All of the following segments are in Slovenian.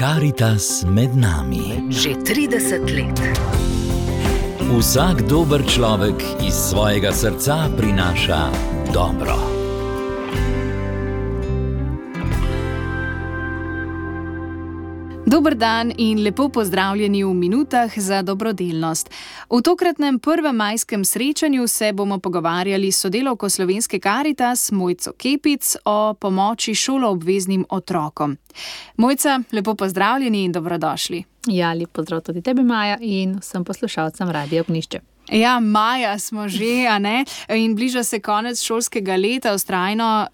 Karitas med nami. Že 30 let. Vsak dober človek iz svojega srca prinaša dobro. Dober dan in lepo pozdravljeni v minutah za dobrodelnost. V tokratnem prvem majskem srečanju se bomo pogovarjali s sodelavko Slovenske Karitas Mojco Kepic o pomoči šoloobveznim otrokom. Mojca, lepo pozdravljeni in dobrodošli. Ja, lep pozdrav tudi tebi, Maja, in vsem poslušalcem Radia Ognjišče. Ja, maja smo že, a ne? In bliža se konec šolskega leta vztrajno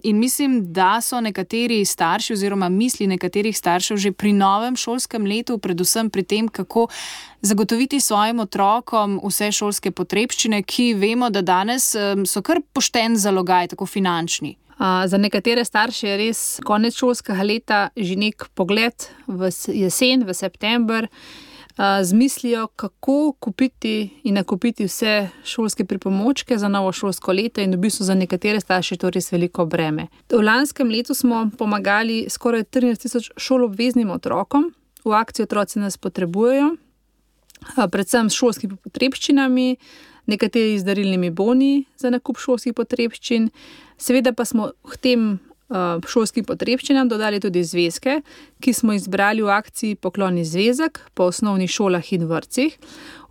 in mislim, da so nekateri starši oziroma misli nekaterih staršev že pri novem šolskem letu, predvsem pri tem, kako zagotoviti svojim otrokom vse šolske potrebščine, ki vemo, da danes so kar pošten zalogaj, tako finančni. Za nekatere starše je res konec šolskega leta že nek pogled v jesen, v september, z mislijo, kako kupiti in nakupiti vse šolske pripomočke za novo šolsko leto in v bistvu za nekatere starše to res veliko breme. V lanskem letu smo pomagali skoraj 13 000 šoloobveznim otrokom. V akciji Otroci nas potrebujejo, predvsem s šolskimi potrebščinami, nekateri z darilnimi boni za nakup šolskih potrebščin. Seveda pa smo k tem šolskim potrebščinam dodali tudi zvezke, ki smo izbrali v akciji Pokloni zvezek po osnovnih šolah in vrtcih.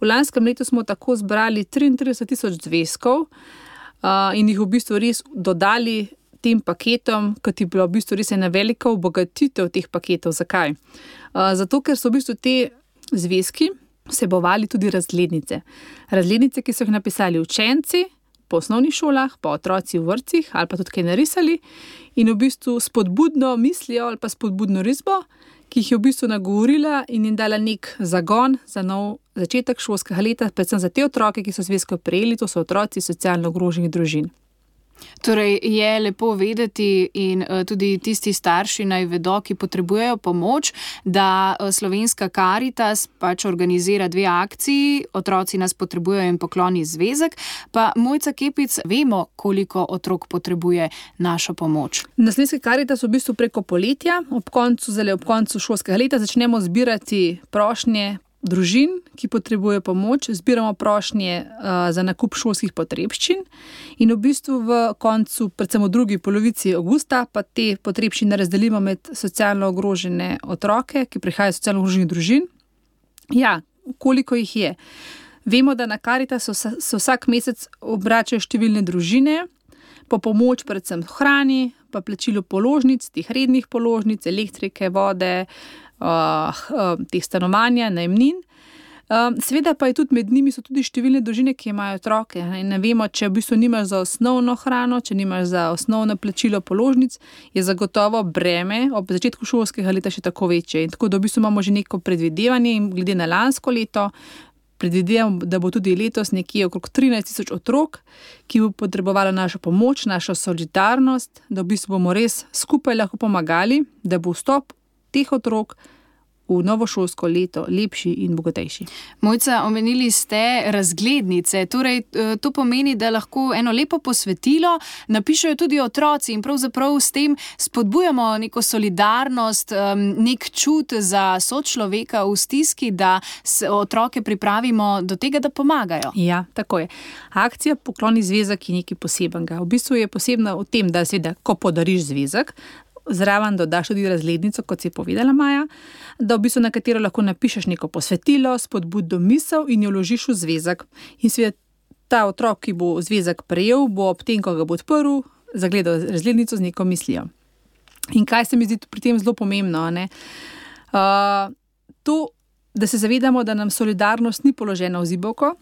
V lanskem letu smo tako zbrali 33 000 zvezkov in jih v bistvu res dodali tem paketom, kot je bila v bistvu res ena velika obogatitev teh paketov. Zakaj? Zato, ker so v bistvu te zvezki vsebovali tudi razglednice. Razglednice, ki so jih napisali učenci po osnovnih šolah, pa otroci v vrtcih ali pa tudi kaj narisali in v bistvu spodbudno mislijo ali pa spodbudno risbo, ki jih je v bistvu nagovorila in jim dala nek zagon za nov začetek šolskega leta, predvsem za te otroke, ki so zvezko prejeli, to so otroci socialno ogroženih družin. Torej je lepo vedeti in tudi tisti starši naj vedo, ki potrebujejo pomoč, da Slovenska Karitas pač organizira 2 akciji, Otroci nas potrebujejo in Pokloni zvezek. Pa Mojca Kepic, vemo, koliko otrok potrebuje našo pomoč. Na Slovenski Karitas v bistvu preko poletja, ob koncu šolskega leta začnemo zbirati prošnje družin, ki potrebujejo pomoč, zbiramo prošnje za nakup šolskih potrebščin in v bistvu v koncu, predvsem v drugi polovici avgusta, pa te potrebščine razdelimo med socialno ogrožene otroke, ki prihajajo iz socialno ogroženih družin. Ja, koliko jih je? Vemo, da na Karitas se vsak mesec obračajo številne družine po pomoč predvsem hrani, pa plačilu položnic, teh rednih položnic, elektrike, vode, teh stanovanja, najemnin. Seveda pa je tudi med njimi so tudi številne družine, ki imajo otroke in ne vemo, če v bistvu nimaš za osnovno hrano, če nimaš za osnovno plačilo položnic, je zagotovo breme ob začetku šolskega leta še tako večje. In tako da v bistvu imamo že neko predvidevanje in glede na lansko leto predvidevam, da bo tudi letos nekje okrog 13 000 otrok, ki bo potrebovalo našo pomoč, našo solidarnost, da v bistvu bomo res skupaj lahko pomagali, da bo vstop teh otrok v novo šolsko leto lepši in bogatejši. Mojca, omenili ste razglednice, torej to pomeni, da lahko eno lepo posvetilo napišejo tudi otroci in pravzaprav s tem spodbujamo neko solidarnost, nek čut za sočloveka v stiski, da otroke pripravimo do tega, da pomagajo. Ja, tako je. Akcija Pokloni zvezek je nekaj posebenega. V bistvu je posebna v tem, da seveda, ko podariš zvezek, zraven dodaš tudi razglednico, kot si povedala, Maja, da v bistvu na katero lahko napišeš neko posvetilo, spodbudno misel in jo vložiš v zvezek. In seveda ta otrok, ki bo zvezek prejel, bo ob tem, ko ga bo odprl, zagledal razglednico z neko mislijo. In kaj se mi zdi pri tem zelo pomembno, ne? To, da se zavedamo, da nam solidarnost ni položena v zibelko,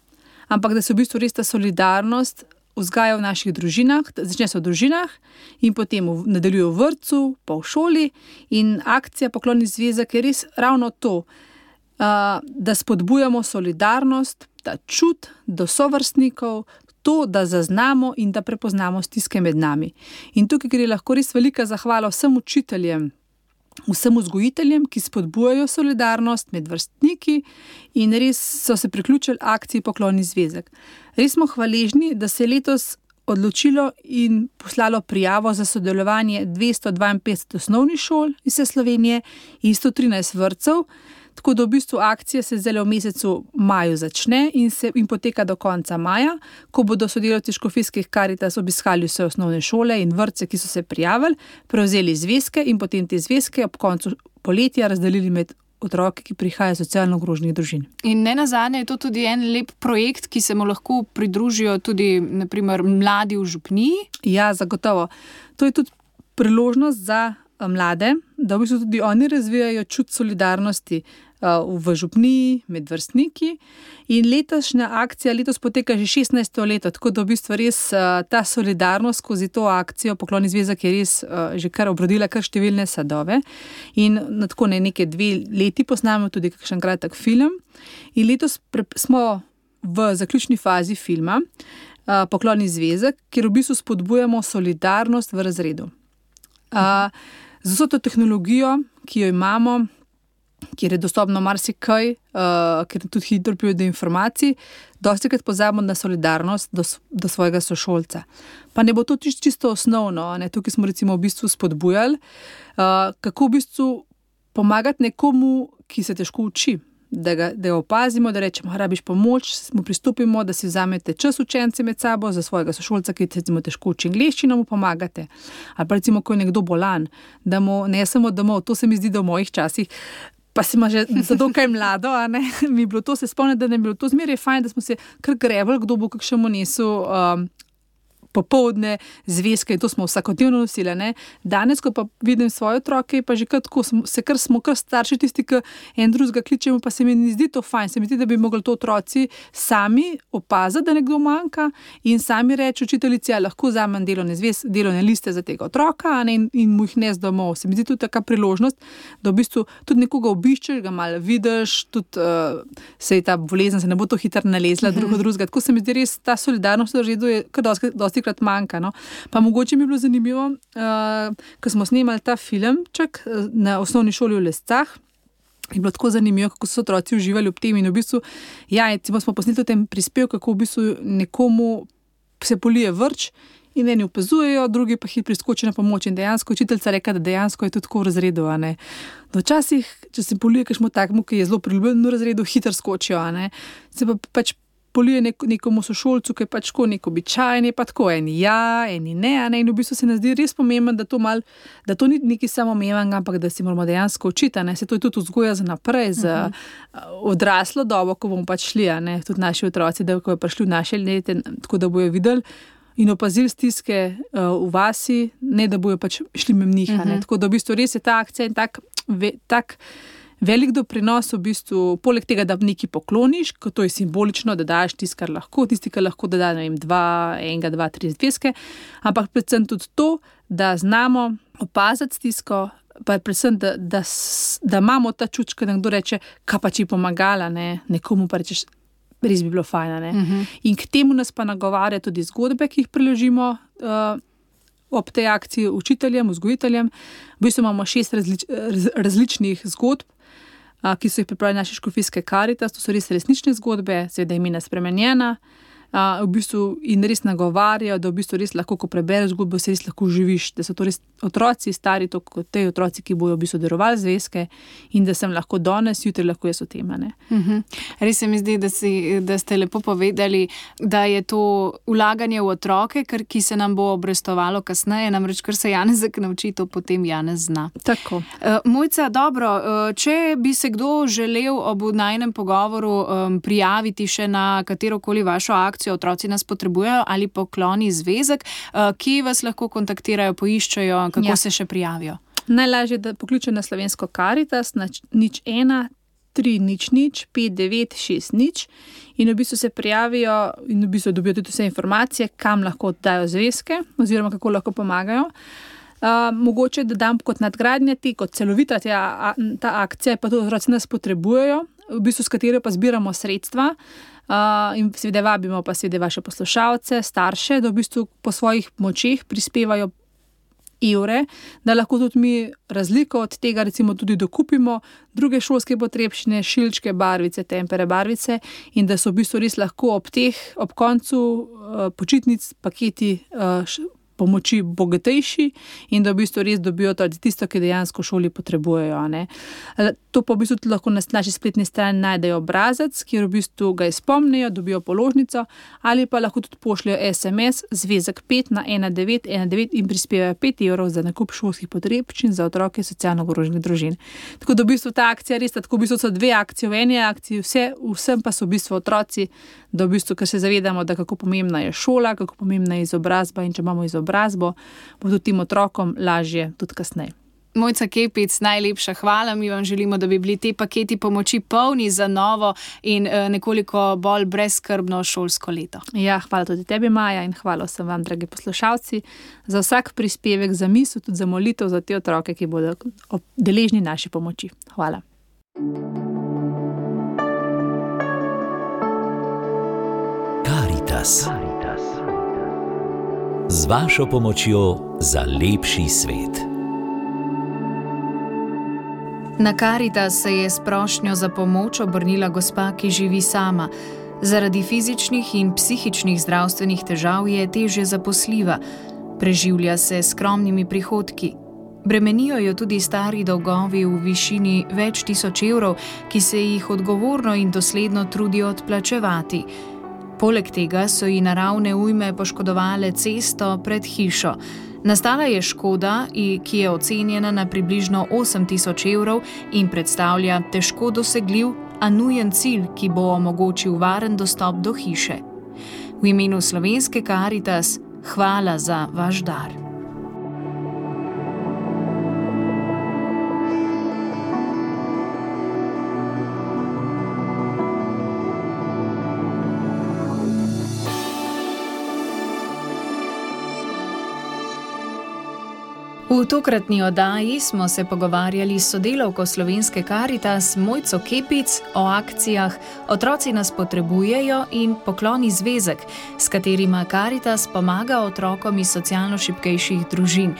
ampak da se v bistvu res ta solidarnost vzgaja v naših družinah, začne se v družinah in potem nadaljuje v vrtcu, pa v šoli in akcija Pokloni zvezek je res ravno to, da spodbujamo solidarnost, ta čut do sovrstnikov, to, da zaznamo in da prepoznamo stiske med nami. In tukaj gre lahko res velika zahvala vsem učiteljem, vsem vzgojiteljem, ki spodbujajo solidarnost med vrstniki in res so se priključili akciji Pokloni zvezek. Res smo hvaležni, da se je letos odločilo in poslalo prijavo za sodelovanje 252 osnovnih šol iz vse Slovenije in 113 vrtcev. Tako da v bistvu akcija se zdaj v mesecu maju začne in poteka do konca maja, ko bodo sodelavci Škofijskih Karitas obiskali vse osnovne šole in vrtce, ki so se prijavili, prevzeli zvezke in potem te zvezke ob koncu poletja razdelili med otroke, ki prihajajo iz socialno ogroženih družin. In nenazadnje je to tudi en lep projekt, ki se mu lahko pridružijo tudi naprimer mladi v župniji. Ja, zagotovo. To je tudi priložnost za mlade, da v bistvu tudi oni razvijajo čut solidarnosti v župniji, med vrstniki. In letošnja akcija letos poteka že 16. leto, tako da v bistvu res ta solidarnost skozi to akcijo Pokloni zvezek je res že kar obrodila kar številne sadove. In na tako neke 2 leti posnamemo tudi kakšen kratek film. In letos smo v zaključni fazi filma Pokloni zvezek, kjer v bistvu spodbujamo solidarnost v razredu. Z vso to tehnologijo, ki jo imamo, kjer je dostopno marsikaj, kjer tudi hitro pride do informacij, dostikrat pozabimo na solidarnost do svojega sošolca. Pa ne bo to čisto osnovno, ne? Tukaj smo recimo v bistvu spodbujali, kako v bistvu pomagati nekomu, ki se težko uči, da ga opazimo, da rečemo, rabiš pomoč, mu pristopimo, da si vzamete čas učenci med sabo za svojega sošolca, ki recimo težko uči angleščino, mu pomagate. Ali pa recimo, ko je nekdo bolan, da mu ne samo domov, to se mi zdi, da v mojih časih, pa si ima že za dokaj mlado, a ne, mi je bilo to, se spomnim, da ne bi bilo to zmeraj fajn, da smo se kar grebali, kdo bo kakšnemu nesel popoldne zvezke in to smo vsakodnevno nosili. Ne? Danes, ko pa vidim svoje otroke, pa že smo kar starši tisti, ki en drugega kličemo, pa se mi ne zdi to fajn. Se mi zdi, da bi mogli to otroci sami opaziti, da nekdo manjka in sami reči učiteljici, ja, lahko vzamem delovne liste za tega otroka, ne? In mu jih nes domov. Se mi zdi tudi taka priložnost, da v bistvu tudi nekoga obiščeš, ga malo vidiš, tudi se je ta bolezen, se ne bo to hitro nalezla drugega. Tako se mi zdi res ta solidarnost v razredu je kar dosti krat manjka. No? Pa mogoče mi je bilo zanimivo, ko smo snemali ta filmček na osnovni šoli v Lescah, je bilo tako zanimivo, kako so otroci uživali ob tem in v bistvu, ja, smo posneli v tem prispevku, kako v bistvu nekomu se polije vrč in eni opazujejo, drugi pa hitro priskočijo na pomoč in dejansko učiteljica reka, da dejansko je to tako v razredu. Včasih, če se polije kakšno takmu, ki je zelo priljubljen v razredu, hitro skočijo. Se pa pač polije nekomu sošolcu, ki je pač tako nek običajen, pa tako eni ja, eni ne, in v bistvu se nam zdi res pomembno, da to ni nekaj samoumevnega, ampak da si moramo dejansko učiti, se to je tudi vzgoja za naprej, za odraslo dobo, ko bomo pač šli, tudi naši otroci, da ko je prišli v naše lete, tako da bojo videli in opazili stiske v vasi, ne da bojo pač šli mimo njih, tako da v bistvu res je ta akcija in tak velik doprinos v bistvu, poleg tega, da nekaj pokloniš, ko to je simbolično, da daš tisti, kar lahko, tisti, ki lahko da ne vem, 2, 3 zvezke, ampak predvsem tudi to, da znamo opaziti stisko, pa predvsem, da imamo ta čut, ko nekdo reče, kaj pa či pomagala, nekomu pa rečeš, res bi bilo fajn. In k temu nas pa nagovarja tudi zgodbe, ki jih preložimo ob tej akciji učiteljem, vzgojiteljem. V bistvu imamo 6 različnih zgodb, ki so jih pripravili naše Škofijske Karitas, to so res resnične zgodbe, seveda imena spremenjena, v bistvu in res nagovarjajo, da v bistvu res lahko, ko prebereš zgodbo, se res lahko živiš, da so to res otroci stari, to kot te otroci, ki bojo v bistvu darovali zvezke in da sem lahko danes, jutri lahko jaz o tem. Res se mi zdi, da ste lepo povedali, da je to vlaganje v otroke, ki se nam bo obrestovalo kasneje, namreč kar se Janezek nauči, to potem Janez zna. Tako. Mojca, dobro, če bi se kdo želel ob najinem pogovoru prijaviti še na katerokoli vašo akcijo, otroci nas potrebujejo ali Pokloni zvezek, kje vas lahko kontaktirajo, poiščejo, kako se še prijavijo? Najlažje, da pokličejo na Slovensko Karitas na 01 300 5960 in v bistvu se prijavijo in v bistvu dobijo tudi vse informacije, kam lahko dajo zvezke oziroma kako lahko pomagajo. Mogoče, da dam kot nadgradnja kot celovita ta akcija, pa tudi otroci nas potrebujejo, v bistvu s katero pa zbiramo sredstva, in seveda vabimo pa seveda vaše poslušalce, starše, da v bistvu po svojih močeh prispevajo evre, da lahko tudi mi razliko od tega recimo tudi dokupimo druge šolske potrebščine, šilčke, barvice, tempere, barvice in da so v bistvu res lahko ob koncu počitnic paketi pomoči bogatejši in da v bistvu res dobijo tisto, ki dejansko v šoli potrebujejo. Ne. To pa v bistvu tudi lahko na naši spletni strani najdejo obrazec, kjer v bistvu ga izpomnijo, dobijo položnico ali pa lahko tudi pošljajo SMS zvezek 5 na 1919 in prispevajo 5 evrov za nakup šolskih potrebščin za otroke socialno ogroženih družin. Tako da v bistvu ta akcija res, tako v bistvu so dve akcije v eni akciji, vsem pa so v bistvu otroci, da v bistvu, ker se zavedamo, da kako pomembna je šola, kako pomembna je izobrazba in če imamo izobrazbo, bo tudi tem otrokom lažje tudi kasneje. Mojca Kepic, najlepša hvala. Mi vam želimo, da bi bili te paketi pomoči polni za novo in nekoliko bolj brezskrbno šolsko leto. Ja, hvala tudi tebi, Maja, in hvala vsem vam, dragi poslušalci, za vsak prispevek, za misel, tudi za molitev za te otroke, ki bodo deležni naši pomoči. Hvala. Karitas. Z vašo pomočjo za lepši svet. Na Karitas se je s prošnjo za pomoč obrnila gospa, ki živi sama. Zaradi fizičnih in psihičnih zdravstvenih težav je težje zaposljiva. Preživlja se s skromnimi prihodki. Bremenijo jo tudi stari dolgovi v višini več tisoč evrov, ki se jih odgovorno in dosledno trudijo odplačevati. Poleg tega so ji naravne ujme poškodovale cesto pred hišo. Nastala je škoda, ki je ocenjena na približno 8 tisoč evrov in predstavlja težko dosegljiv, a nujen cilj, ki bo omogočil varen dostop do hiše. V imenu Slovenske Karitas hvala za vaš dar. V tokratni oddaji smo se pogovarjali s sodelavko Slovenske Karitas Mojco Kepic o akcijah Otroci nas potrebujejo in Pokloni zvezek, s katerima Karitas pomaga otrokom iz socialno šibkejših družin.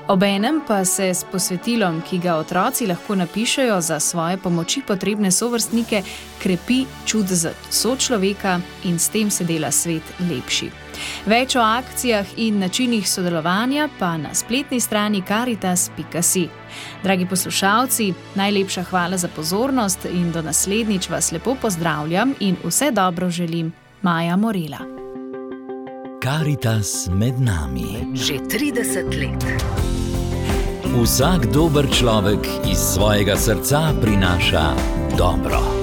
Obenem pa se s posvetilom, ki ga otroci lahko napišejo za svoje pomoči potrebne sovrstnike, krepi čut za sočloveka in s tem se dela svet lepši. Več o akcijah in načinih sodelovanja pa na spletni strani karitas.si. Dragi poslušalci, najlepša hvala za pozornost in do naslednjič vas lepo pozdravljam in vse dobro želim. Maja Morela. Karitas med nami. Že 30 let. Vsak dober človek iz svojega srca prinaša dobro.